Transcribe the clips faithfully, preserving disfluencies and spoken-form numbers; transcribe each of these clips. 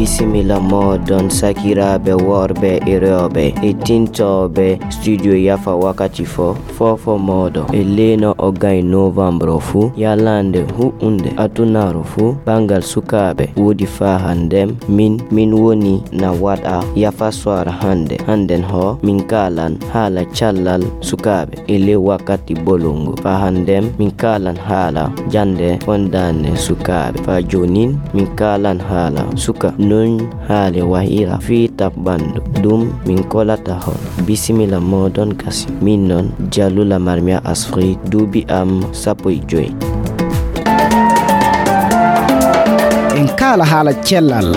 Bisimilla mooɗon sakiraaɓe worɓe e rewɓe e tintooɓe Studio Yafa wakkati fo, fofo mooɗon e leeno o gay novembre fuu, yalande hu'unde adunaaru fuu, banngal sukaaɓe woodi faa hannden, min, min woni na waɗa Yafa Soir hannde. Hannden ho, min kaalan haala callal sukaaɓe e ley wakkati bolongo. Faa hannden, min kaalan haala jannde fondaane sukaaɓe. Faa joonin, min kaalan haala suka non haale wahira fii taɓɓandu. Ɗum min kolata hon. Bisimilla mooɗon gasi. Min non Jalula Marmia Asfrik, duuɓi am sappo e joy. En kaala haala cellal.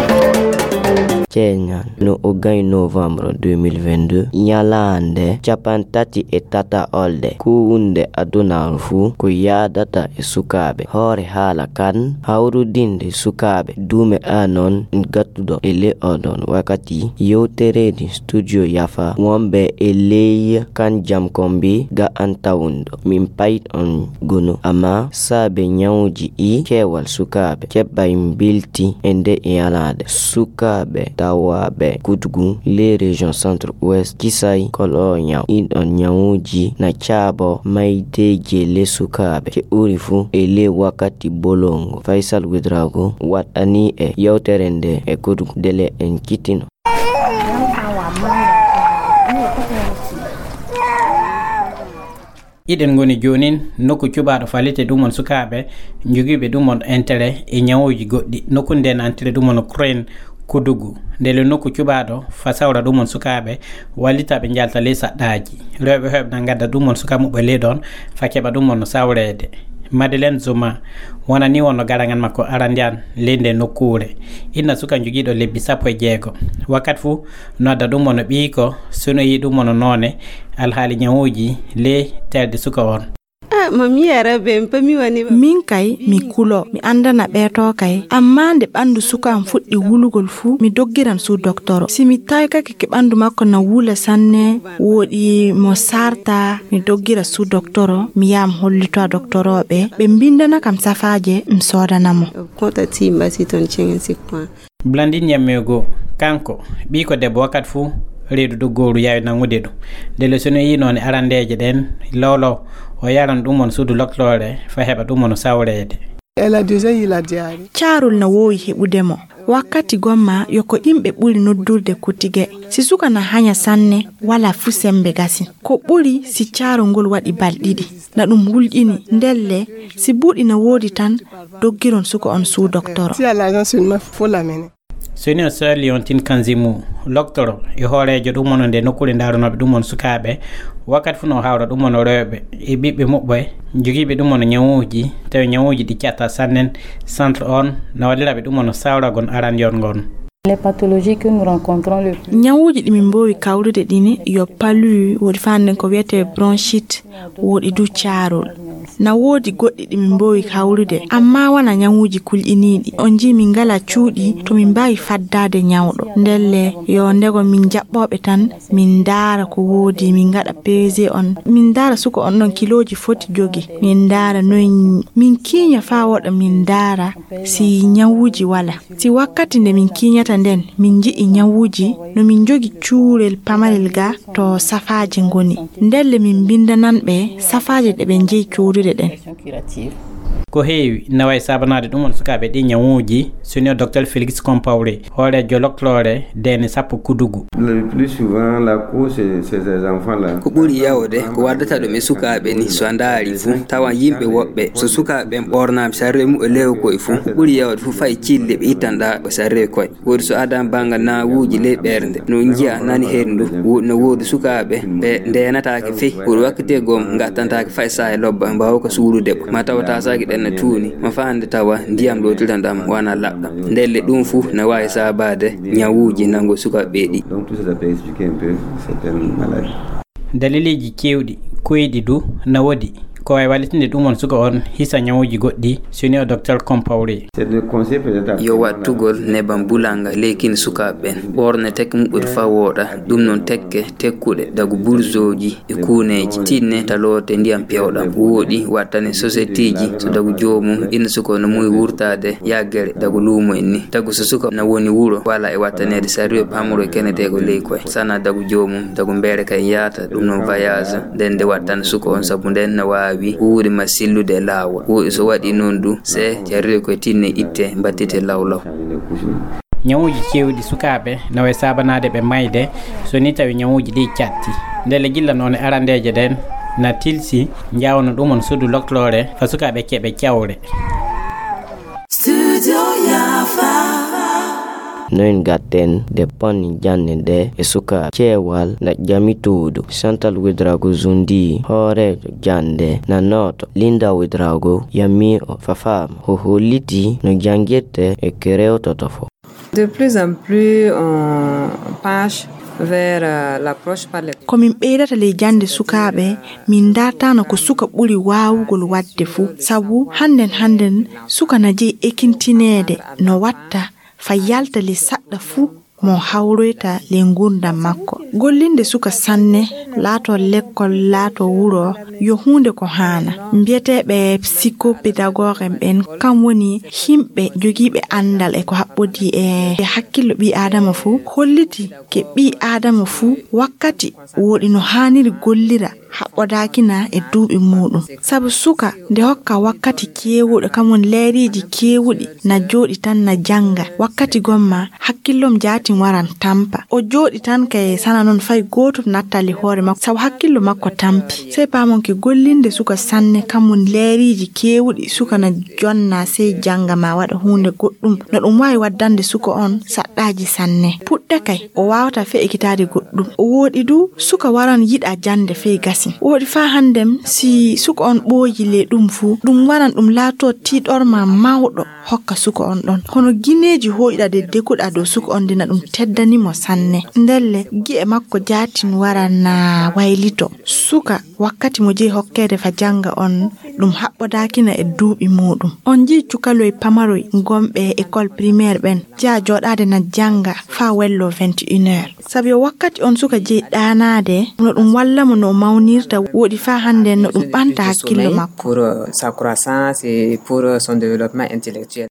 Ceeñal no o gay novembre deux mille vingt-deux, ñalaande cappanɗe tati e tata olde, kuwunde adunaaru fuu ko yaadata e sukaaɓe. Hoore haala kan, hawrudinde sukaaɓe, duume anon gattuɗo e ley oɗon wakkati, yewtereeji Studio Yafa, wonɓe e ley kan jam kombi ga an tawundo. Min payit on gunu, amma saabe ñawuji ɗi keewal sukaaɓe keɓay mbilti e nde yalaade. Sukaaɓe tawaaɓe Kudugu, les régions centre ouest, kisay kolo ñaw. Ɗin ɗon ñawuji na caabo maydeeji le sukaaɓe. Ke ɓuri fuu e le wakkati bolongo. Faisal Ouedraogo waɗɗani e yewtere nde e Kudugu dele en kittino. Hiɗen ngoni joonin nokku cuɓaaɗo faalite ɗum on sukaaɓe njogiiɓe ɗum on intérêt e ñawuuji goɗɗi. Nokku nden intérêt ɗum on Ukraine Kudugu. Ndele nokku cuɓaaɗo fa sawra ɗum on sukaaɓe wallitaaɓe njalta ley saɗɗaaji. Rewɓe heɓna ngadda ɗum on suka muɓɓe ley ɗon fa keɓa ɗum on sawreede. Madeleine Zuma wonani wonno garangal makko arandiyan ley nde nokkuure. Inna suka njogiiɗo lebbi sappo e jeego. Wakkati fuu no adda ɗum on ɓiiko, so no yi'i ɗum on noone alhaali ñawuuji ley telde suka on. Ah, mami yara ben, pa mi wani ba. Min kay, mi kulo, mi andana ɓeeto kay. Amma nde ɓandu suka am fuɗɗi wulugol fuu, mi doggiran suu doktoro. Si mi taykake ke ɓandu makko na wula sanne, woɗi mo sarta, mi doggira suu doktoro, mi yaha mi hollito a doktorooɓe, ɓe mbindana kam safaaje, mi soodana mo. Kota timba si ton cingen si kwan. Blandine Yamego, kanko, ɓiiko debbo wakkati fuu reedu doggooru yaawi nangude ɗum. Ndele so no yi'i noone arandeeje ɗen, lowlow, o yaran ɗum on suudu lokloore, fa heɓa ɗum on sawreede. Elle a déjà eu la diarrhée. Caarol na woowi heɓude mo. Wakkati gomma yo ko yimɓe ɓuri noddurde kutige. Si suka na hanya sanne, wala fu sembe gasi. Ko ɓuri si caarol ngol waɗi balɗiɗi. Na ɗum wulƴini, ndelle, si buuɗi na woodi tan, doggiron suka on suu doktoro. Si à l'agence seulement, faut l'amener. Senior Sir Leontine Kanzimu, loktoro e hooreejo ɗum on nde nokkuure ndaarunooɓe ɗum on sukaaɓe, wakkati fuu no hawra ɗum on rewɓe e ɓiɓɓe muɓɓe, jogiiɓe ɗum on ñawuuji, tawi ñawuuji ɗi catta sannen, centre on na walliraɓe ɗum on sawragol arandiyon ngon. Les pathologies que nous rencontrons le plus. Ñawuuji ɗi min mboowi kawrude ɗini yo palu, woodi faa hannden ko wiyetee bronchite, woodi du caarol. Na woodi goɗɗi ɗi min mboowi kawrude, amma wona ñawuuji kulƴiniiɗi. On njii min ngala cuuɗi to min mbaawi faddaade ñawɗo. Ndelle yo ndego min jaɓɓooɓe tan, min ndaara ko woodi, min ngaɗa P V G on. Min ndaara suka on ɗon kilooji foti jogi. Min ndaara noy min kiiña faa woɗa min ndaara si ñawuuji wala. Si wakkati nde min kiiñata nden, min nji'i ñawuuji, no min njogi cuurel pamarel ga to safaaji ngoni. Ndelle min mbindanan ɓe safaaji ɗe ɓe njeyi coodude ɗen. Ko heewi na wayi saabanaade ɗum on sukaaɓe ɗi ñawuuji, senior docteur Félix Compaoré, hooreejo lokloore deene sappo Kudugu. Le plus souvent, la cause, c'est ces enfants-là. Ko ɓuri yawde ko waddata ɗum e sukaaɓe ni, so a ndaari fu, tawa yimɓe woɓɓe, so sukaaɓe ɓen ɓornaama sarre muɓɓe leew koye fu, ko ɓuri yawde fu fay cille ɓe ittanɗa ɓe sarre koye. Woodi so adan banngal nawuuji ley ɓernde, no njiya nani henndu, wo-, no woodi sukaaɓe ɓe ndeenataake fey. Woodi wakkati gom ngattantaake fay saaya lobba, mbaawa ko suuɗude ɓe. Ma tawa taasaaji ɗen na tuuni, ma faa hannde tawa ndiyam ɗo tilan ɗam wana laɓɗam. Ndelle ɗum fu na waawi saabaade ñawuuji nango sukaaɓe ɓe ɗi. Donc tout ça, ça peut expliquer un peu certaines maladies. Daliliji kewɗi koyɗi du na woodi Ko wawi wallitinde ɗum on suka on hisa ñawuji goɗɗi, soni o Docteur Compaoré. Yo wattugol neban bulanga leykin sukaaɓe ɓen. Ɓorne tek muɓɓude fa wooɗa, ɗum non tekke tekkuɗe dagu burzoji e kuuneji. Tinne taloote ndiyam pewɗam. Wooɗi wattane soseteji so dagu joomum, inna suka on no muuyi wurtaade yaggere dagu luumo en ni. Tagu so suka na woni wuro, wala e wattaneede sariyo pamro e kenete ko ley koye. Sana dagu joomum, dagu mbeere kay yaata, ɗum non voyage. Nden nde wattana suka on, sabu nden na waawi huuwde ma sillude e laawol. Wooɗi so waɗi non du, se jarrire koye tinne itte, mbattite lawlaw. Ñawuji cewɗi sukaaɓe na way saabanaade ɓe mayde, so ni tawi ñawuji ɗi catti. Ndelle gilla noone arandeeje ɗen na tilsi, njawno ɗum on suudu lokloore fa sukaaɓe keɓe cawre. Studio Yafa. Noin gatten de panni jande de e suka cewal na jami tuudu. Santal Widrago Zundi, hooreejo jande na nooto Linda Widrago, yammi o fafaama. Ho holliti no jangirte e kerewtoto fo. De plus en plus, on penche vers, euh, l'approche par les... Ko min ɓeydata ley jannde sukaaɓe, min ndartano ko suka ɓuri waawugol waɗde fuu. Sabu hannden, hannden, suka na jeyi ekintineede no watta fa yalta ley saɗɗa fuu mo hawroyta ley nguurndam makko. Gollinde suka sanne, laato lekkol, laato wuro, yo huunde ko haana. Mbiyeteeɓe psychopédagogue en ɓen, kam woni yimɓe jogiiɓe anndal e ko haɓɓodii e hakkillo ɓii Aadama fuu, holliti ke ɓii Aadama fuu wakkati wooɗi no haaniri gollira, haɓɓodaakina e duuɓi muuɗum. Sabu suka nde hokka wakkati keewuɗo, kam woni leeriiji keewuɗi, na jooɗi tan na jannga. Wakkati gomma, hakkillom jaatin waran tampa. O jooɗi tan kay sana non fay gootum nattali hoore makko, sabu hakkillo makko tampi. Sey paamonke gollinde suka sanne, kam woni leeriiji keewuɗi, suka na jonna sey jannga ma waɗa huunde goɗɗum. No ɗum waawi waddande suka on saɗɗaaji sanne. Puɗɗa kay, o waawata fe ekitaade goɗɗum. O wooɗi du, suka waran yiɗa jannde fey gasin. Wooɗi faa hannden, si suka on ɓooyi le ɗum fuu, ɗum waran ɗum laatoo tiiɗorma mawɗo hokka suka on ɗon. Hono gineeji hooƴuɗa de deguɗa dow suka on dina ɗum teddani mo sanne. Ndelle, gi'e makko jaatin waran na waylito. Suka, wakkati mo jeyi hokkeede fa jannga on, ɗum haɓɓodaakina e duuɓi muuɗum. On njii cukaloy pamaroy gomɓe école primaire ɓen, jeya jooɗaade na jannga faa wello vingt et une heures. Sabi o wakkati on suka jeyi ɗaanaade, no ɗum walla mo no o mawnirta, wooɗi faa hannden no ɗum ɓanta hakkillo makko. Pour, euh, sa croissance et pour, euh, son développement intellectuel.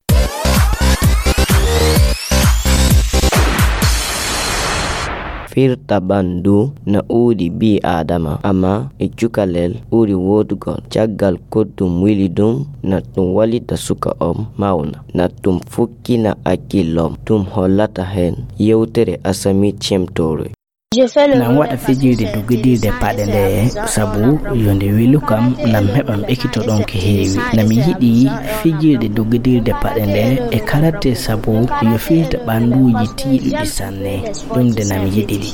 Firta ɓanndu na uuɗi ɓii Aadama, amma e cukalel ɓuri woodugol. Caggal ko ɗum wili ɗum, na ɗum wallita suka on mawna, na ɗum fukkina hakkillom. Ɗum hollata heen yewtere Asami Cemtoore. Nam waɗa fijirde dogidirde paɗe nde, sabu yo nde welu kam, nam heɓam ekito ɗon ko heewi. Nami yiɗi fijirde dogidirde paɗe nde e karate, sabu yo firta ɓannduuji tiiɗuɗi sanne. Ɗum de nami yiɗi ɗi.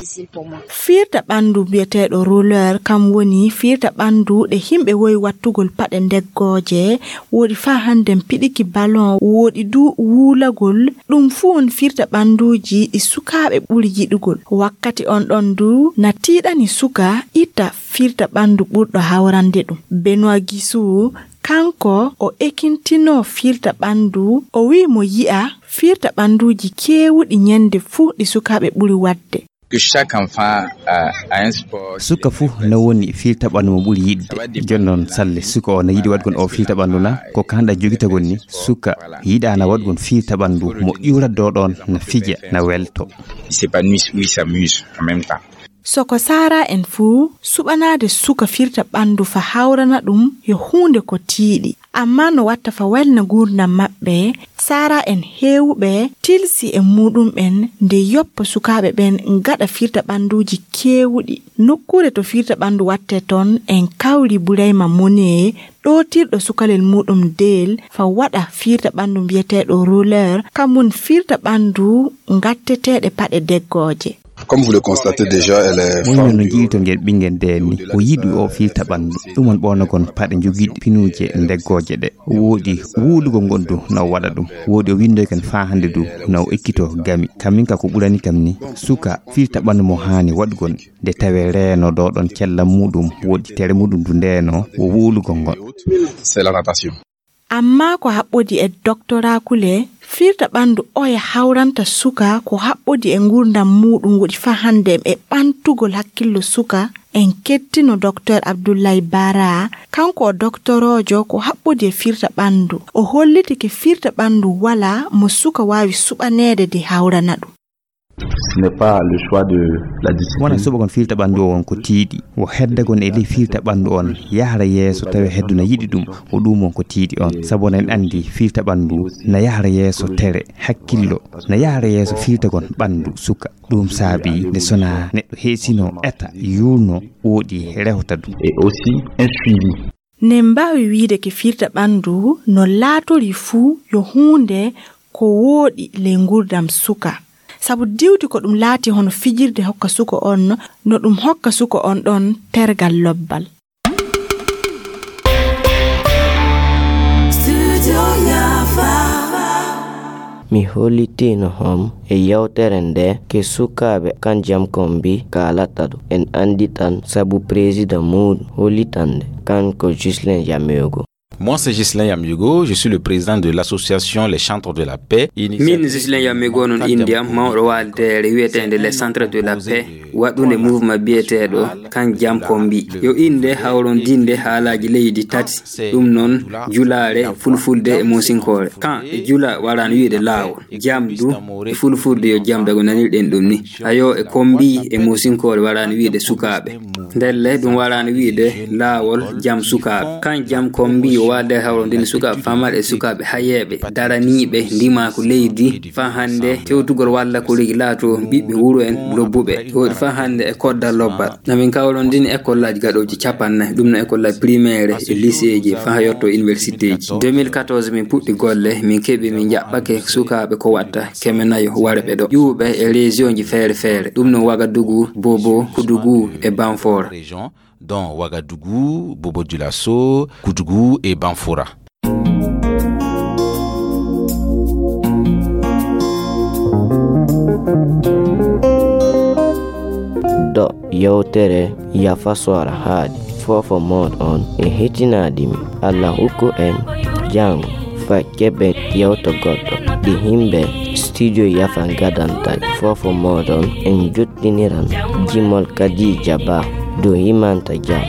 Firta ɓanndu biyeteeɗo roller, kam woni firta ɓanndu ɗe yimɓe woyi wattugol paɗe ndeggooje, wooɗi faa hannden piɗiki ballon, wooɗi du wuulagol. Ɗum fuu on firta ɓannduuji ɗi sukaaɓe ɓuri yiɗugol. Wakkati on ɗon du na tiiɗani suka itta firta ɓanndu ɓurɗo hawrande ɗum. Benoit Gisou, kanko o ekintinoo firta ɓanndu, o wi'i mo yi'a firta ɓannduuji keewuɗi ñande fuu ɗi sukaaɓe ɓuri waɗde. Que chaque enfant a, a un sport. Suka fuu no woni firta ɓanndu mo ɓuri yiɗde. Jooni noon salle suka o na yiɗi waɗgol o firta ɓanndu na, ko kanɗa jogitagol ni, suka yiɗaana waɗgol firta ɓanndu mo ƴuurat dow ɗoon na fija, na welto. Il s'épanouit, il s'amuse en même temps. Soko saara en fuu, suɓanaade suka firta ɓanndu fa hawrana ɗum yo huunde ko tiiɗi. Amma no watta fa welna nguurndam maɓɓe, saara en heewuɓe tilsi e muuɗum en nde yoppa sukaaɓe ɓen ngaɗa firta ɓannduuji keewuɗi. Nokkuure to firta ɓanndu watte toon, en kawri Burayma Mone, ɗootirɗo sukalel muuɗum Deel, fa waɗa firta ɓanndu mbiyeteeɗo roller, kam woni firta ɓanndu ngatteteeɗe paɗe deggooje. Comme vous le constatez déjà, elle est... Moyno no njiilton ngel ɓinngel ndeen ni, o yiɗi o firta ɓanndu. Ɗum on ɓoonagon paɗe njogiiɗi pinuuje ndeggooje ɗe. Woodi wuulugol ngondu no o waɗa ɗum. Woodi o winndoyken faa hannde du no o ekkitoo gami. Kam min ka ko ɓurani kam ni, suka firta ɓanndu mo haani waɗugol. Nde tawee reeno ɗo ɗon cella muuɗum, woodi tere muuɗum du ndeenoo, wo wuulugol ngol. C'est la natation. Amma ko haɓɓodi e doktoraa Kule, firta ɓanndu oya hawranta suka ko haɓɓodi e nguurndam muuɗum woɗi faa hannde e ɓantugol hakkillo suka. En kettino Doktor Abdullahi Bara, kanko o doktoroojo ko haɓɓodi e firta ɓanndu. O holliti ke firta ɓanndu walaa mo suka waawi suɓaneede de hawrana ɗum. Ce n'est pas le choix de la discipline. Wona suɓagol firta ɓanndu on ko tiiɗi. Wo heddagon e ley firta ɓanndu on yahra yeeso tawi heddu na yiɗi ɗum. Ko ɗum on ko tiiɗi on. Sabu oɗon anndi firta ɓanndu na yahra yeeso tere, hakkillo, na yahra yeeso firtagol ɓanndu suka. Ɗum saabi nde sona neɗɗo heesino eta yuulno woɗi rewta ɗum. Et aussi un suivi. Ne mbaawi wiide ke firta ɓanndu no laatori fuu yo huunde ko wooɗi ley nguurndam suka. Sabu diwti ko ɗum laati hono fijirde hokka suka on, no ɗum hokka suka on ɗon tergal lobbal. Mi hollitino hom e yewtere nde ke sukaaɓe kan jam kombi kaalata ɗo. En anndi tan sabu président muuɗum hollitande kan ko Ghislain Yamego. Moi, c'est Ghislain Yamego, je suis le président de l'association Les Chantres de la Paix. Min Ghislain Yamego non inde am, mawɗo waaldeere wiyeteende Les Centres de la Paix, waɗunde mouvement biyeteeɗo kan jam kombi. Yo innde hawrondinde haalaaji leydi tati, ɗum noon julaare, fulfulde e moosinkoore. Kan e jula waraano wiide laawol. Jam du e fulfulde yo jam dago nanirɗen ɗum ni. Ayo e kombi e moosinkoore waraano wiide sukaaɓe. Ndelle ɗum waraano wiide laawol jam sukaaɓe. Kan jam kombi o waalde hawrondinde sukaaɓe famal e sukaaɓe hayeeɓe, daraniiɓe ndimaaku leydi. Faa hannde tewtugol walla ko leydi laato ɓiɓɓe wuro en lobbuɓe. Woodi faa hannde e kodda lobbal. Na min kawrondini école aji gaɗooji capanɗe nayi, ɗum no école aji primaire e lycée ji, faa yotto université ji. Deux mille quatorze min puɗɗi golle, min keɓi, min jaɓɓake sukaaɓe ko watta keme nayo warɓe ɗo. Ƴuwɓe e région ji feere feere, ɗum no Ouagadougou, Bobo, Koudougou e Banfora. Région, dont Ouagadougou, Bobo Dioulasso, Koudougou et Banfora. Do yewtere yafa sora haaɗi. Fofo moɗon e hetinaɗi mi. Allah hukku en jango fa keɓen yewto goɗɗo. Ɗi himɓe studio yafa gadantay. Fofo moɗon en jottiniran jimol Kadija Ba. Do himanta jam.